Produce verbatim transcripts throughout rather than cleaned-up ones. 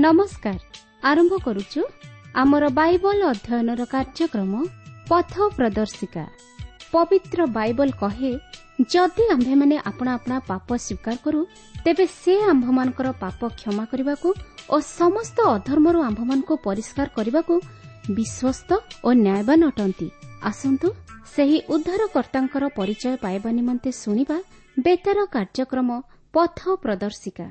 ନମସ୍କାର। ଆରମ୍ଭ କରୁଛୁ ଆମର ବାଇବଲ ଅଧ୍ୟୟନର କାର୍ଯ୍ୟକ୍ରମ ପଥ ପ୍ରଦର୍ଶିକା। ପବିତ୍ର ବାଇବଲ କହେ, ଯଦି ଆମ୍ଭେମାନେ ଆପଣା ଆପଣା ପାପ ସ୍ୱୀକାର କରୁ, ତେବେ ସେ ଆମ୍ଭମାନଙ୍କର ପାପ କ୍ଷମା କରିବାକୁ ଓ ସମସ୍ତ ଅଧର୍ମରୁ ଆମ୍ଭମାନଙ୍କୁ ପରିଷ୍କାର କରିବାକୁ ବିଶ୍ୱସ୍ତ ଓ ନ୍ୟାୟବାନ ଅଟନ୍ତି। ଆସନ୍ତୁ ସେହି ଉଦ୍ଧାରକର୍ତ୍ତାଙ୍କର ପରିଚୟ ପାଇବା ନିମନ୍ତେ ଶୁଣିବା ବେତାର କାର୍ଯ୍ୟକ୍ରମ ପଥ ପ୍ରଦର୍ଶିକା।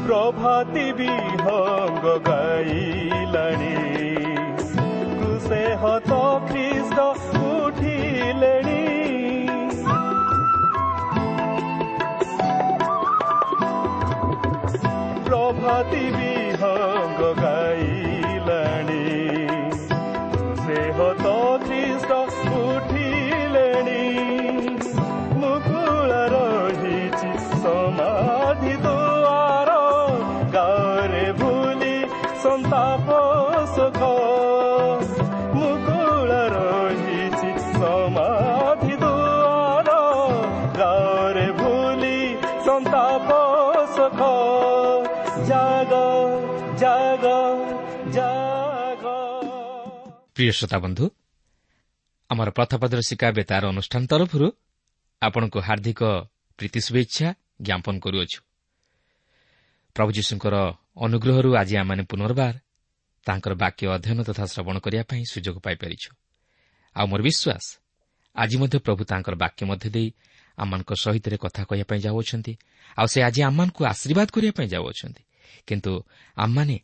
ପ୍ରଭାତି ବିହଙ୍ଗ ଗାଇଲାଣି, କୃଷେ ହତ ଖ୍ରୀଷ୍ଟ ଉଠିଲେଣି। ପ୍ରଭାତି ବିହଙ୍ଗ ଗାଇଲାଣି, କୃଷେ ହତ ଖ୍ରୀଷ୍ଟ ଉଠିଲେଣି। ମୁକୁଳା ରହିଛି ସମାଧି ଦୁଆର, ଗାଁରେ ଭୁଲି ସନ୍ତାପ ସୁଖ। ମୁକୁଳା ରହିଛି ସମାଧି ଦୁଆର, ଗାଁରେ ଭୁଲି ସନ୍ତାପ ସୁଖ। ଜାଗ ଜାଗ ଜାଗ। ପ୍ରିୟ ଶ୍ରୋତା ବନ୍ଧୁ, ଆମର ପଥ ପ୍ରଦର୍ଶିକା ବେତାର ଅନୁଷ୍ଠାନ ତରଫରୁ ଆପଣଙ୍କୁ ହାର୍ଦ୍ଦିକ ପ୍ରୀତି ଶୁଭେଚ୍ଛା ଜ୍ଞାପନ କରୁଅଛୁ। ପ୍ରଭୁ ଯୀଶୁଙ୍କର ଅନୁଗ୍ରହରୁ ଆଜି ଆମେମାନେ ପୁନର୍ବାର ତାଙ୍କର ବାକ୍ୟ ଅଧ୍ୟୟନ ତଥା ଶ୍ରବଣ କରିବା ପାଇଁ ସୁଯୋଗ ପାଇପାରିଛୁ। ଆଉ ମୋର ବିଶ୍ୱାସ, ଆଜି ମଧ୍ୟ ପ୍ରଭୁ ତାଙ୍କର ବାକ୍ୟ ମଧ୍ୟ ଦେଇ ଆମମାନଙ୍କ ସହିତ କଥା କହିବା ପାଇଁ ଯାଉଅଛନ୍ତି, ଆଉ ସେ ଆଜି ଆମମାନଙ୍କୁ ଆଶୀର୍ବାଦ କରିବା ପାଇଁ ଯାଉଅଛନ୍ତି। କିନ୍ତୁ ଆମମାନେ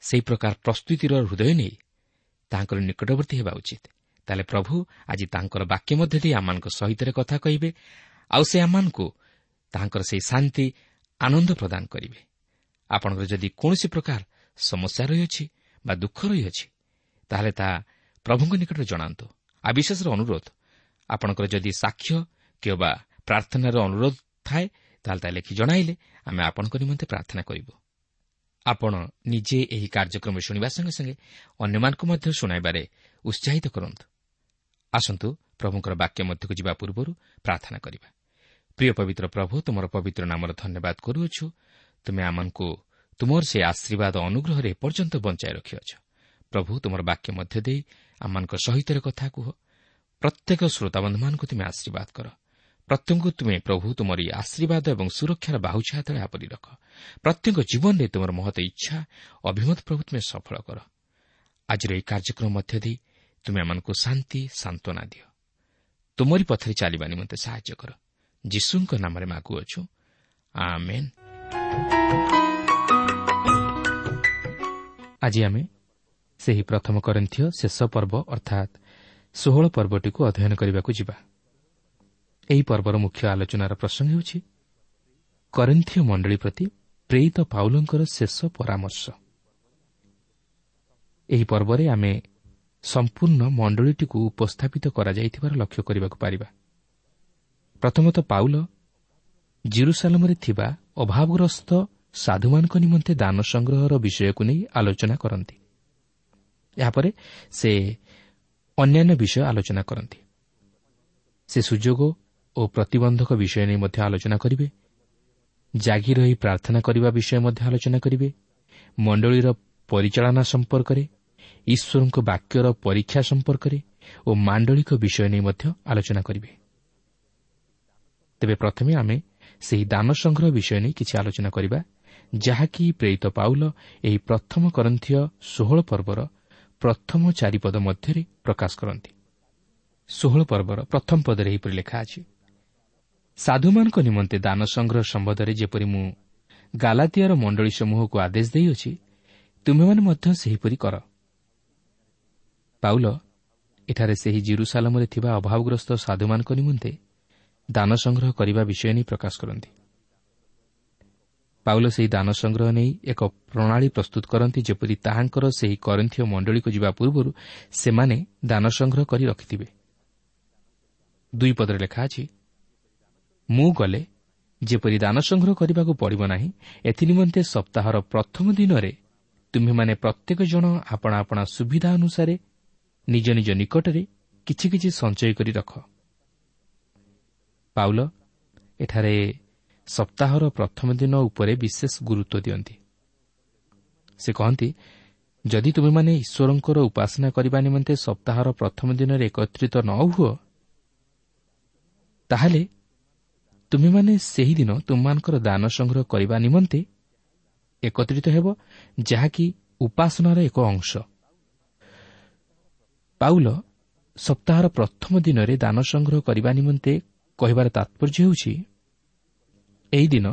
ସେହି ପ୍ରକାର ପ୍ରସ୍ତୁତିର ହୃଦୟ ନେଇ ତାଙ୍କର ନିକଟବର୍ତ୍ତୀ ହେବା ଉଚିତ। ତାହେଲେ ପ୍ରଭୁ ଆଜି ତାଙ୍କର ବାକ୍ୟ ମଧ୍ୟ ଦେଇ ଆମମାନଙ୍କ ସହିତ କଥା କହିବେ, ଆଉ ସେ ଆମମାନଙ୍କୁ ତାଙ୍କର ସେହି ଶାନ୍ତି ଆନନ୍ଦ ପ୍ରଦାନ କରିବେ। ଆପଣଙ୍କର ଯଦି କୌଣସି ପ୍ରକାର ସମସ୍ୟା ରହିଅଛି ବା ଦୁଃଖ ରହିଅଛି, ତାହେଲେ ତାହା ପ୍ରଭୁଙ୍କ ନିକଟରେ ଜଣାନ୍ତୁ। ଆଉ ବିଶେଷର ଅନୁରୋଧ, ଆପଣଙ୍କର ଯଦି ସାକ୍ଷ୍ୟ କିମ୍ବା ପ୍ରାର୍ଥନାର ଅନୁରୋଧ ଥାଏ, ତାହେଲେ ତାହା ଲେଖି ଜଣାଇଲେ ଆମେ ଆପଣଙ୍କ ନିମନ୍ତେ ପ୍ରାର୍ଥନା କରିବୁ। ଆପଣ ନିଜେ ଏହି କାର୍ଯ୍ୟକ୍ରମ ଶୁଣିବା ସଙ୍ଗେ ସଙ୍ଗେ ଅନ୍ୟମାନଙ୍କୁ ମଧ୍ୟ ଶୁଣାଇବାରେ ଉତ୍ସାହିତ କରନ୍ତୁ। ଆସନ୍ତୁ ପ୍ରଭୁଙ୍କର ବାକ୍ୟ ମଧ୍ୟକୁ ଯିବା ପୂର୍ବରୁ ପ୍ରାର୍ଥନା କରିବା। ପ୍ରିୟ ପବିତ୍ର ପ୍ରଭୁ, ତୁମର ପବିତ୍ର ନାମର ଧନ୍ୟବାଦ କରୁଅଛୁ। ତୁମେ ଆମମାନଙ୍କୁ ତୁମର ସେ ଆଶୀର୍ବାଦ ଅନୁଗ୍ରହରେ ଏପର୍ଯ୍ୟନ୍ତ ବଞ୍ଚାଇ ରଖିଅଛ। ପ୍ରଭୁ, ତୁମର ବାକ୍ୟ ମଧ୍ୟ ଦେଇ ଆମମାନଙ୍କ ସହିତ କଥା କୁହ। ପ୍ରତ୍ୟେକ ଶ୍ରୋତାବନ୍ଧୁମାନଙ୍କୁ ତୁମେ ଆଶୀର୍ବାଦ କର। ପ୍ରତ୍ୟେକଙ୍କୁ ତୁମେ ପ୍ରଭୁ ତୁମର ଆଶୀର୍ବାଦ ଏବଂ ସୁରକ୍ଷାର ବାହୁଛାୟା ତଳେ ଆବୋରି ରଖ। ପ୍ରତ୍ୟେକ ଜୀବନରେ ତୁମର ମହତ ଇଚ୍ଛା ଅଭିମତ ପ୍ରଭୁ ତୁମେ ସଫଳ କର। ଆଜିର ଏହି କାର୍ଯ୍ୟକ୍ରମ ମଧ୍ୟ ଦେଇ ତୁମେ ଆମମାନଙ୍କୁ ଶାନ୍ତି ସାନ୍ତ୍ୱନା ଦିଅ। ତୁମରି ପଥରେ ଚାଲିବା ନିମନ୍ତେ ସାହାଯ୍ୟ କର। ଯୀଶୁଙ୍କ ନାମରେ ମାଗୁଅଛୁ, ଆମେନ୍। ଆଜି ଆମେ ସେହି ପ୍ରଥମ କରିନ୍ଥୀୟ ଶେଷ ପର୍ବ ଅର୍ଥାତ୍ ଷୋହଳ ପର୍ବଟିକୁ ଅଧ୍ୟୟନ କରିବାକୁ ଯିବା। ଏହି ପର୍ବର ମୁଖ୍ୟ ଆଲୋଚନାର ପ୍ରସଙ୍ଗ ହେଉଛି କରିନ୍ଥୀୟ ମଣ୍ଡଳୀ ପ୍ରତି ପ୍ରେରିତ ପାଉଲଙ୍କର ଶେଷ ପରାମର୍ଶ। ଏହି ପର୍ବରେ ଆମେ ସମ୍ପୂର୍ଣ୍ଣ ମଣ୍ଡଳୀଟିକୁ ଉପସ୍ଥାପିତ କରାଯାଇଥିବାର ଲକ୍ଷ୍ୟ କରିବାକୁ ପାରିବା। ପ୍ରଥମତଃ ପାଉଲ ଜିରୁସାଲମରେ ଥିବା ଅଭାବଗ୍ରସ୍ତ ସାଧୁମାନଙ୍କ ନିମନ୍ତେ ଦାନ ସଂଗ୍ରହର ବିଷୟକୁ ନେଇ ଆଲୋଚନା କରନ୍ତି। ଏହାପରେ ସେ ଅନ୍ୟାନ୍ୟ ବିଷୟ ଆଲୋଚନା କରନ୍ତି। ସେ ସୁଯୋଗ ଓ ପ୍ରତିବନ୍ଧକ ବିଷୟ ନେଇ ମଧ୍ୟ ଆଲୋଚନା କରିବେ। ଜାଗି ରହି ପ୍ରାର୍ଥନା କରିବା ବିଷୟ ମଧ୍ୟ ଆଲୋଚନା କରିବେ। ମଣ୍ଡଳୀର ପରିଚାଳନା ସମ୍ପର୍କରେ, ଈଶ୍ୱରଙ୍କ ବାକ୍ୟର ପରୀକ୍ଷା ସମ୍ପର୍କରେ ଓ ମାଣ୍ଡଳିକ ବିଷୟ ନେଇ ମଧ୍ୟ ଆଲୋଚନା କରିବେ। ତେବେ ପ୍ରଥମେ ଆମେ ସେହି ଦାନ ସଂଗ୍ରହ ବିଷୟ ନେଇ କିଛି ଆଲୋଚନା କରିବା, ଯାହାକି ପ୍ରେରିତ ପାଉଲ ଏହି ପ୍ରଥମ କରନ୍ଥୀୟ ଷୋହଳ ପର୍ବର ପ୍ରଥମ ଚାରିପଦ ମଧ୍ୟରେ ପ୍ରକାଶ କରନ୍ତି। ଷୋହଳ ପର୍ବର ପ୍ରଥମ ପଦରେ ଏହିପରି ଲେଖା ଅଛି, ସାଧୁମାନଙ୍କ ନିମନ୍ତେ ଦାନ ସଂଗ୍ରହ ସମ୍ବନ୍ଧରେ ଯେପରି ମୁଁ ଗାଲାତିଆର ମଣ୍ଡଳୀ ସମୂହକୁ ଆଦେଶ ଦେଇଅଛି, ତୁମେମାନେ ମଧ୍ୟ ସେହିପରି କର। ପାଉଲ ଏଠାରେ ସେହି ଜିରୁସାଲମରେ ଥିବା ଅଭାବଗ୍ରସ୍ତ ସାଧୁମାନଙ୍କ ନିମନ୍ତେ ଦାନ ସଂଗ୍ରହ କରିବା ବିଷୟ ନେଇ ପ୍ରକାଶ କରନ୍ତି। ପାଉଲ ସେହି ଦାନ ସଂଗ୍ରହ ନେଇ ଏକ ପ୍ରଣାଳୀ ପ୍ରସ୍ତୁତ କରନ୍ତି, ଯେପରି ତାହାଙ୍କର ସେହି କରିନ୍ଥୀୟ ମଣ୍ଡଳୀକୁ ଯିବା ପୂର୍ବରୁ ସେମାନେ ଦାନ ସଂଗ୍ରହ କରି ରଖିଥିବେ। ଦୁଇ ପଦରେ ଲେଖା ଅଛି, ମୁଁ ଗଲେ ଯେପରି ଦାନ ସଂଗ୍ରହ କରିବାକୁ ପଡ଼ିବ ନାହିଁ, ଏଥିନିମନ୍ତେ ସପ୍ତାହର ପ୍ରଥମ ଦିନରେ ତୁମ୍ଭେମାନେ ପ୍ରତ୍ୟେକ ଜଣ ଆପଣା ଆପଣା ସୁବିଧା ଅନୁସାରେ ନିଜ ନିଜ ନିକଟରେ କିଛି କିଛି ସଞ୍ଚୟ କରି ରଖ। ପାଉଲ ଏଠାରେ ସପ୍ତାହର ପ୍ରଥମ ଦିନ ଉପରେ ବିଶେଷ ଗୁରୁତ୍ୱ ଦିଅନ୍ତି। ସେ କହନ୍ତି, ଯଦି ତୁମେମାନେ ଈଶ୍ୱରଙ୍କର ଉପାସନା କରିବା ନିମନ୍ତେ ସପ୍ତାହର ପ୍ରଥମ ଦିନରେ ଏକତ୍ରିତ ନ ହୁଅ, ତାହେଲେ ତୁମେମାନେ ସେହିଦିନ ତୁମମାନଙ୍କର ଦାନ ସଂଗ୍ରହ କରିବା ନିମନ୍ତେ ଏକତ୍ରିତ ହେବ, ଯାହାକି ଉପାସନାର ଏକ ଅଂଶ। ପାଉଲ ସପ୍ତାହର ପ୍ରଥମ ଦିନରେ ଦାନ ସଂଗ୍ରହ କରିବା ନିମନ୍ତେ କହିବାର ତାତ୍ପର୍ଯ୍ୟ ହେଉଛି, ଏହି ଦିନ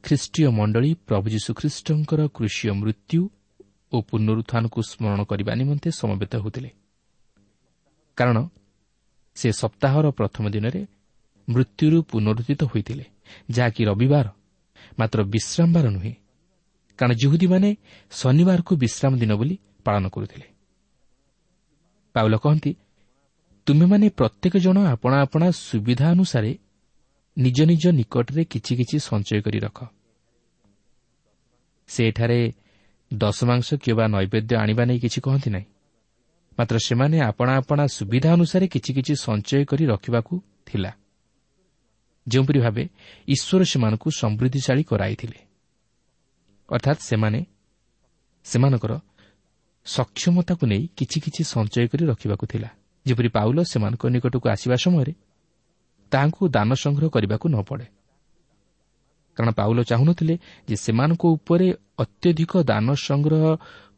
ଖ୍ରୀଷ୍ଟୀୟ ମଣ୍ଡଳୀ ପ୍ରଭୁ ଯୀଶୁଖ୍ରୀଷ୍ଟଙ୍କର କୃଷୀୟ ମୃତ୍ୟୁ ଓ ପୁନରୁତ୍ଥାନକୁ ସ୍ମରଣ କରିବା ନିମନ୍ତେ ସମବେତ ହେଉଥିଲେ, କାରଣ ସେ ସପ୍ତାହର ପ୍ରଥମ ଦିନରେ ମୃତ୍ୟୁରୁ ପୁନରୁତ୍ଥିତ ହୋଇଥିଲେ, ଯାହାକି ରବିବାର, ମାତ୍ର ବିଶ୍ରାମବାର ନୁହେଁ, କାରଣ ଯିହୁଦୀମାନେ ଶନିବାରକୁ ବିଶ୍ରାମ ଦିନ ବୋଲି ପାଳନ କରୁଥିଲେ। ପାଉଲ କହନ୍ତି, ତୁମେମାନେ ପ୍ରତ୍ୟେକ ଜଣ ଆପଣା ଆପଣା ସୁବିଧା ଅନୁସାରେ ନିଜ ନିଜ ନିକଟରେ କିଛି କିଛି ସଞ୍ଚୟ କରି ରଖ। ସେ ଏଠାରେ ଦଶମାଂଶ କିମ୍ବା ନୈବେଦ୍ୟ ଆଣିବା ନେଇ କିଛି କହନ୍ତି ନାହିଁ, ମାତ୍ର ସେମାନେ ଆପଣା ଆପଣା ସୁବିଧା ଅନୁସାରେ କିଛି କିଛି ସଞ୍ଚୟ କରି ରଖିବାକୁ ଥିଲା, ଯେଉଁପରି ଭାବେ ଈଶ୍ୱର ସେମାନଙ୍କୁ ସମୃଦ୍ଧିଶାଳୀ କରାଇଥିଲେ। ଅର୍ଥାତ୍ ସେମାନେ ସେମାନଙ୍କର ସକ୍ଷମତାକୁ ନେଇ କିଛି କିଛି ସଞ୍ଚୟ କରି ରଖିବାକୁ ଥିଲା, ଯେପରି ପାଉଲ ସେମାନଙ୍କ ନିକଟକୁ ଆସିବା ସମୟରେ ତାହାଙ୍କୁ ଦାନ ସଂଗ୍ରହ କରିବାକୁ ନ ପଡ଼େ। କାରଣ ପାଉଲ ଚାହୁଁନଥିଲେ ଯେ ସେମାନଙ୍କ ଉପରେ ଅତ୍ୟଧିକ ଦାନ ସଂଗ୍ରହ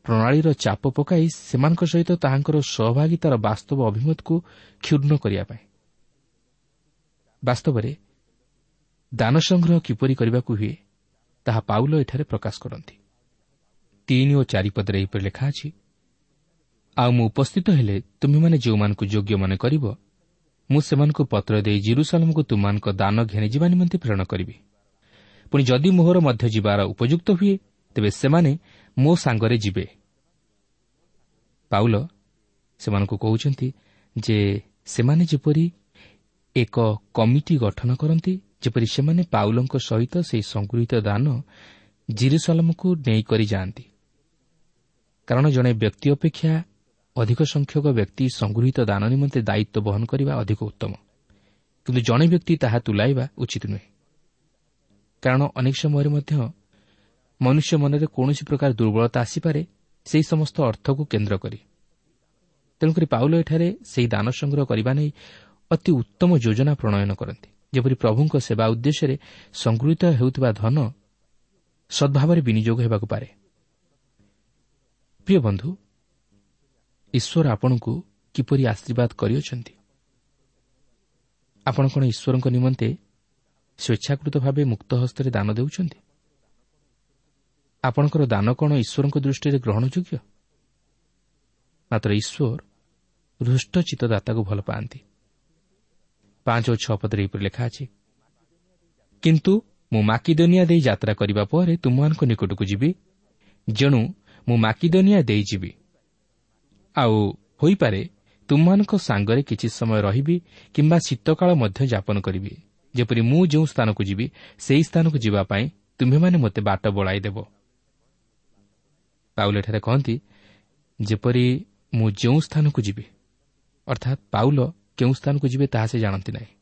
ପ୍ରଣାଳୀର ଚାପ ପକାଇ ସେମାନଙ୍କ ସହିତ ତାହାଙ୍କର ସହଭାଗିତାର ବାସ୍ତବ ଅଭିମତକୁ କ୍ଷୁଣ୍ଣ କରିବା ପାଇଁ। ବାସ୍ତବରେ ଦାନ ସଂଗ୍ରହ କିପରି କରିବାକୁ ହୁଏ ତାହା ପାଉଲ ଏଠାରେ ପ୍ରକାଶ କରନ୍ତି। ତିନି ଓ ଚାରି ପଦରେ ଏହିପରି ଲେଖା ଅଛି, ଆଉ ମୁଁ ଉପସ୍ଥିତ ହେଲେ ତୁମେମାନେ ଯେଉଁମାନଙ୍କୁ ଯୋଗ୍ୟ ମନେ କରିବ, ମୁଁ ସେମାନଙ୍କୁ ପତ୍ର ଦେଇ ଜିରୁସାଲମକୁ ତୁମମାନଙ୍କ ଦାନ ଘେନିଯିବା ନିମନ୍ତେ ପ୍ରେରଣ କରିବି। ପୁଣି ଯଦି ମୋହର ମଧ୍ୟ ଯିବାର ଉପଯୁକ୍ତ ହୁଏ, ତେବେ ସେମାନେ ମୋ ସାଙ୍ଗରେ ଯିବେ। ପାଉଲ ସେମାନଙ୍କୁ କହୁଛନ୍ତି ଯେ ସେମାନେ ଯେପରି ଏକ କମିଟି ଗଠନ କରନ୍ତି, ଯେପରି ସେମାନେ ପାଉଲଙ୍କ ସହିତ ସେହି ସଂଗୃହୀତ ଦାନ ଜିରୁସାଲମକୁ ନେଇକରି ଯାଆନ୍ତି। କାରଣ ଜଣେ ବ୍ୟକ୍ତି ଅପେକ୍ଷା ଅଧିକ ସଂଖ୍ୟକ ବ୍ୟକ୍ତି ସଂଗୃହୀତ ଦାନ ନିମନ୍ତେ ଦାୟିତ୍ୱ ବହନ କରିବା ଅଧିକ ଉତ୍ତମ, କିନ୍ତୁ ଜଣେ ବ୍ୟକ୍ତି ତାହା ତୁଲାଇବା ଉଚିତ ନୁହେଁ। କାରଣ ଅନେକ ସମୟରେ ମଧ୍ୟ ମନୁଷ୍ୟ ମନରେ କୌଣସି ପ୍ରକାର ଦୁର୍ବଳତା ଆସିପାରେ ସେହି ସମସ୍ତ ଅର୍ଥକୁ କେନ୍ଦ୍ର କରି। ତେଣୁକରି ପାଉଲ ଏଠାରେ ସେହି ଦାନ ସଂଗ୍ରହ କରିବା ନେଇ ଅତି ଉତ୍ତମ ଯୋଜନା ପ୍ରଣୟନ କରନ୍ତି, ଯେପରି ପ୍ରଭୁଙ୍କ ସେବା ଉଦ୍ଦେଶ୍ୟରେ ସଂଗୃହୀତ ହେଉଥିବା ଧନ ସଦ୍ଭାବରେ ବିନିଯୋଗ ହେବାକୁ ପାରେ। ପ୍ରିୟ ବନ୍ଧୁ, ଈଶ୍ୱର ଆପଣଙ୍କୁ କିପରି ଆଶୀର୍ବାଦ କରିଅଛନ୍ତି? ଆପଣ କ'ଣ ଈଶ୍ୱରଙ୍କ ନିମନ୍ତେ ସ୍ୱେଚ୍ଛାକୃତ ଭାବେ ମୁକ୍ତ ହସ୍ତରେ ଦାନ ଦେଉଛନ୍ତି? ଆପଣଙ୍କର ଦାନ କ'ଣ ଈଶ୍ୱରଙ୍କ ଦୃଷ୍ଟିରେ ଗ୍ରହଣଯୋଗ୍ୟ? ମାତ୍ର ଈଶ୍ୱର ହୃଷ୍ଟଚିତ୍ତଦାତାକୁ ଭଲ ପାଆନ୍ତି। ପାଞ୍ଚ ଓ ଛଅ ପଦରେ ଏହିପରି ଲେଖା ଅଛି, କିନ୍ତୁ ମୁଁ ମାକିଦନିଆ ଦେଇ ଯାତ୍ରା କରିବା ପରେ ତୁମମାନଙ୍କ ନିକଟକୁ ଯିବି, ଯେଣୁ ମୁଁ ମାକିଦନିଆ ଦେଇ ଯିବି। ଆଉ ହୋଇପାରେ ତୁମମାନଙ୍କ ସାଙ୍ଗରେ କିଛି ସମୟ ରହିବି କିମ୍ବା ଶୀତକାଳ ମଧ୍ୟ ଯାପନ କରିବି, ଯେପରି ମୁଁ ଯେଉଁ ସ୍ଥାନକୁ ଯିବି ସେହି ସ୍ଥାନକୁ ଯିବା ପାଇଁ ତୁମ୍ଭେମାନେ ମୋତେ ବାଟ ବଳାଇ ଦେବ। ପାଉଲ ଏଠାରେ କହନ୍ତି, ଯେପରି ମୁଁ ଯେଉଁ ସ୍ଥାନକୁ ଯିବି, ଅର୍ଥାତ୍ ପାଉଲ କେଉଁ ସ୍ଥାନକୁ ଯିବେ ତାହା ସେ ଜାଣନ୍ତି ନାହିଁ।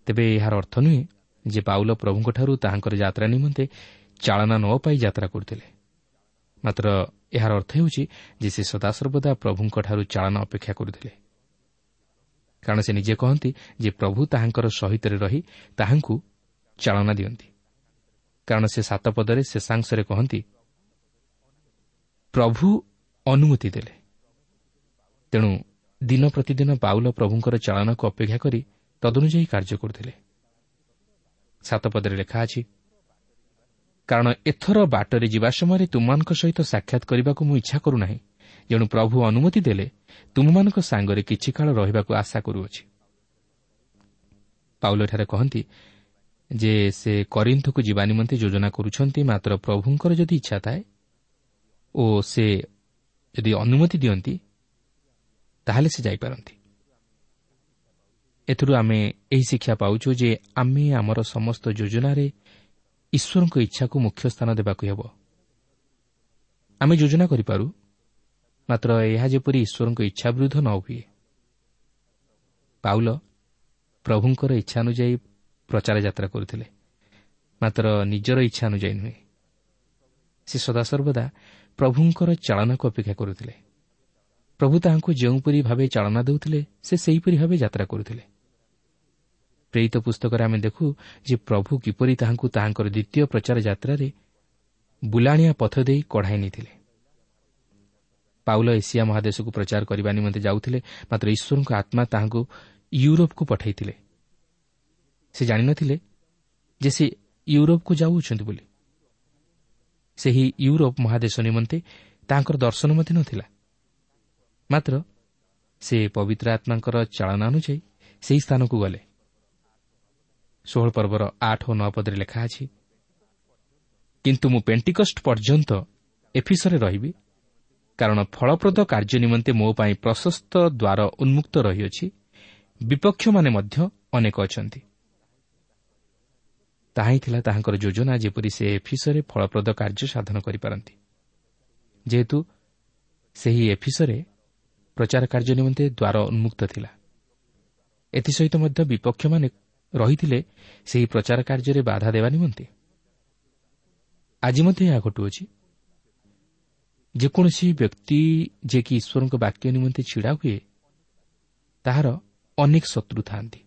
ତେବେ ଏହାର ଅର୍ଥ ନୁହେଁ ଯେ ପାଉଲ ପ୍ରଭୁଙ୍କଠାରୁ ତାହାଙ୍କର ଯାତ୍ରା ନିମନ୍ତେ ଚାଳନା ନ ପାଇ ଯାତ୍ରା କରୁଥିଲେ, ମାତ୍ର ଏହାର ଅର୍ଥ ହେଉଛି ଯେ ସେ ସଦାସର୍ବଦା ପ୍ରଭୁଙ୍କଠାରୁ ଚାଳନା ଅପେକ୍ଷା କରୁଥିଲେ। କାରଣ ସେ ନିଜେ କହନ୍ତି ଯେ ପ୍ରଭୁ ତାହାଙ୍କର ସହିତରେ ରହି ତାହାଙ୍କୁ ଚାଳନା ଦିଅନ୍ତି। କାରଣ ସେ ସାତ ପଦରେ ଶେଷାଂଶରେ କହନ୍ତି, ପ୍ରଭୁ ଅନୁମତି ଦେଲେ। ତେଣୁ ଦିନ ପ୍ରତିଦିନ ପାଉଲ ପ୍ରଭୁଙ୍କର ଚାଳନାକୁ ଅପେକ୍ଷା କରି ତଦନୁଯାୟୀ କାର୍ଯ୍ୟ କରୁଥିଲେ। ସାତ ପଦରେ ଲେଖା ଅଛି, କାରଣ ଏଥର ବାଟରେ ଯିବା ସମୟରେ ତୁମମାନଙ୍କ ସହିତ ସାକ୍ଷାତ କରିବାକୁ ମୁଁ ଇଚ୍ଛା କରୁନାହିଁ, ଯେଣୁ ପ୍ରଭୁ ଅନୁମତି ଦେଲେ ତୁମମାନଙ୍କ ସାଙ୍ଗରେ କିଛି କାଳ ରହିବାକୁ ଆଶା କରୁଅଛି। ପାଉଲ ଏଠାରେ କହନ୍ତି ଯେ ସେ କରିନ୍ଥକୁ ଯିବା ନିମନ୍ତେ ଯୋଜନା କରୁଛନ୍ତି, ମାତ୍ର ପ୍ରଭୁଙ୍କର ଯଦି ଇଚ୍ଛା ଥାଏ ଓ ସେ ଯଦି ଅନୁମତି ଦିଅନ୍ତି ତାହେଲେ ସେ ଯାଇପାରନ୍ତି। ଏଥିରୁ ଆମେ ଏହି ଶିକ୍ଷା ପାଉଛୁ ଯେ ଆମେ ଆମର ସମସ୍ତ ଯୋଜନାରେ ଈଶ୍ୱରଙ୍କ ଇଚ୍ଛାକୁ ମୁଖ୍ୟ ସ୍ଥାନ ଦେବାକୁ ହେବ। ଆମେ ଯୋଜନା କରିପାରୁ, ମାତ୍ର ଏହା ଯେପରି ଈଶ୍ୱରଙ୍କ ଇଚ୍ଛା ବିରୁଦ୍ଧ ନ ହୁଏ। ପାଉଲ ପ୍ରଭୁଙ୍କର ଇଚ୍ଛା ଅନୁଯାୟୀ ପ୍ରଚାର ଯାତ୍ରା କରୁଥିଲେ, ମାତ୍ର ନିଜର ଇଚ୍ଛା ଅନୁଯାୟୀ ନୁହେଁ। ସେ ସଦାସର୍ବଦା ପ୍ରଭୁଙ୍କର ଚାଳନାକୁ ଅପେକ୍ଷା କରୁଥିଲେ। ପ୍ରଭୁ ତାହାଙ୍କୁ ଯେଉଁପରି ଭାବେ ଚାଳନା ଦେଉଥିଲେ ସେ ସେହିପରି ଭାବେ ଯାତ୍ରା କରୁଥିଲେ। ପ୍ରେରିତ ପୁସ୍ତକରେ ଆମେ ଦେଖୁ ଯେ ପ୍ରଭୁ କିପରି ତାହାଙ୍କୁ ତାହାଙ୍କର ଦ୍ୱିତୀୟ ପ୍ରଚାର ଯାତ୍ରାରେ ବୁଲାଣିଆ ପଥ ଦେଇ କଢ଼ାଇ ନେଇଥିଲେ। ପାଉଲ ଏସିଆ ମହାଦେଶକୁ ପ୍ରଚାର କରିବା ନିମନ୍ତେ ଯାଉଥିଲେ, ମାତ୍ର ଈଶ୍ୱରଙ୍କ ଆତ୍ମା ତାହାଙ୍କୁ ୟୁରୋପକୁ ପଠାଇଥିଲେ। ସେ ଜାଣିନଥିଲେ ଯେ ସେ ୟୁରୋପକୁ ଯାଉଅଛନ୍ତି ବୋଲି। ସେହି ୟୁରୋପ ମହାଦେଶ ନିମନ୍ତେ ତାହାଙ୍କର ଦର୍ଶନ ମଧ୍ୟ ନଥିଲା, ମାତ୍ର ସେ ପବିତ୍ର ଆତ୍ମାଙ୍କର ଚାଳନା ଅନୁଯାୟୀ ସେହି ସ୍ଥାନକୁ ଗଲେ। ଷୋହଳ ପର୍ବର ଆଠ ଓ ନଅ ପଦରେ ଲେଖା ଅଛି, କିନ୍ତୁ ମୁଁ ପେଣ୍ଟିକଷ୍ଟ ପର୍ଯ୍ୟନ୍ତ ଏଫିସରେ ରହିବି, କାରଣ ଫଳପ୍ରଦ କାର୍ଯ୍ୟ ନିମନ୍ତେ ମୋ ପାଇଁ ପ୍ରଶସ୍ତ ଦ୍ୱାର ଉନ୍ମୁକ୍ତ ରହିଅଛି, ବିପକ୍ଷମାନେ ମଧ୍ୟ ଅନେକ ଅଛନ୍ତି। ତାହା ହିଁ ଥିଲା ତାହାଙ୍କର ଯୋଜନା, ଯେପରି ସେ ଏଫିସରେ ଫଳପ୍ରଦ କାର୍ଯ୍ୟ ସାଧନ କରିପାରନ୍ତି। ଯେହେତୁ ସେହି ଏଫିସରେ ପ୍ରଚାର କାର୍ଯ୍ୟ ନିମନ୍ତେ ଦ୍ୱାର ଉନ୍ମୁକ୍ତ ଥିଲା, ଏଥିସହିତ ମଧ୍ୟ ବିପକ୍ଷମାନେ ରହିଥିଲେ ସେହି ପ୍ରଚାର କାର୍ଯ୍ୟରେ ବାଧା ଦେବା ନିମନ୍ତେ। ଆଜି ମଧ୍ୟ ଏହା ଘଟୁଅଛି। ଯେକୌଣସି ବ୍ୟକ୍ତି ଯିଏକି ଈଶ୍ୱରଙ୍କ ବାକ୍ୟ ନିମନ୍ତେ ଛିଡ଼ା ହୁଏ, ତାହାର ଅନେକ ଶତ୍ରୁ ଥାନ୍ତି।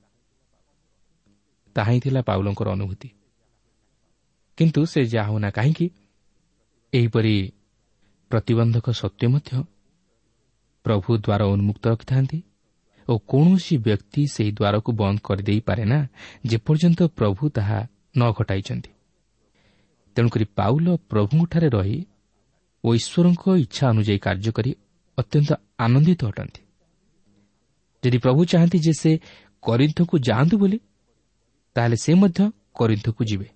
ତାହା ହିଁ ଥିଲା ପାଉଲଙ୍କର ଅନୁଭୂତି। କିନ୍ତୁ ସେ ଯାହା ହେଉନା କାହିଁକି, ଏହିପରି ପ୍ରତିବନ୍ଧକ ସତ୍ତ୍ୱେ ମଧ୍ୟ ପ୍ରଭୁ ଦ୍ୱାର ଉନ୍ମୁକ୍ତ ରଖିଥାନ୍ତି ଓ କୌଣସି ବ୍ୟକ୍ତି ସେହି ଦ୍ୱାରକୁ ବନ୍ଦ କରିଦେଇପାରେ ନା, ଯେପର୍ଯ୍ୟନ୍ତ ପ୍ରଭୁ ତାହା ନ ଘଟାଇଛନ୍ତି। ତେଣୁକରି ପାଉଲ ପ୍ରଭୁଙ୍କଠାରେ ରହି ଓ ଈଶ୍ୱରଙ୍କ ଇଚ୍ଛା ଅନୁଯାୟୀ କାର୍ଯ୍ୟ କରି ଅତ୍ୟନ୍ତ ଆନନ୍ଦିତ ଅଟନ୍ତି। ଯଦି ପ୍ରଭୁ ଚାହାନ୍ତି ଯେ ସେ କରିନ୍ଥକୁ ଯାଆନ୍ତୁ ବୋଲି, ତାହେଲେ ସେ ମଧ୍ୟ କରିନ୍ଥକୁ ଯିବେ।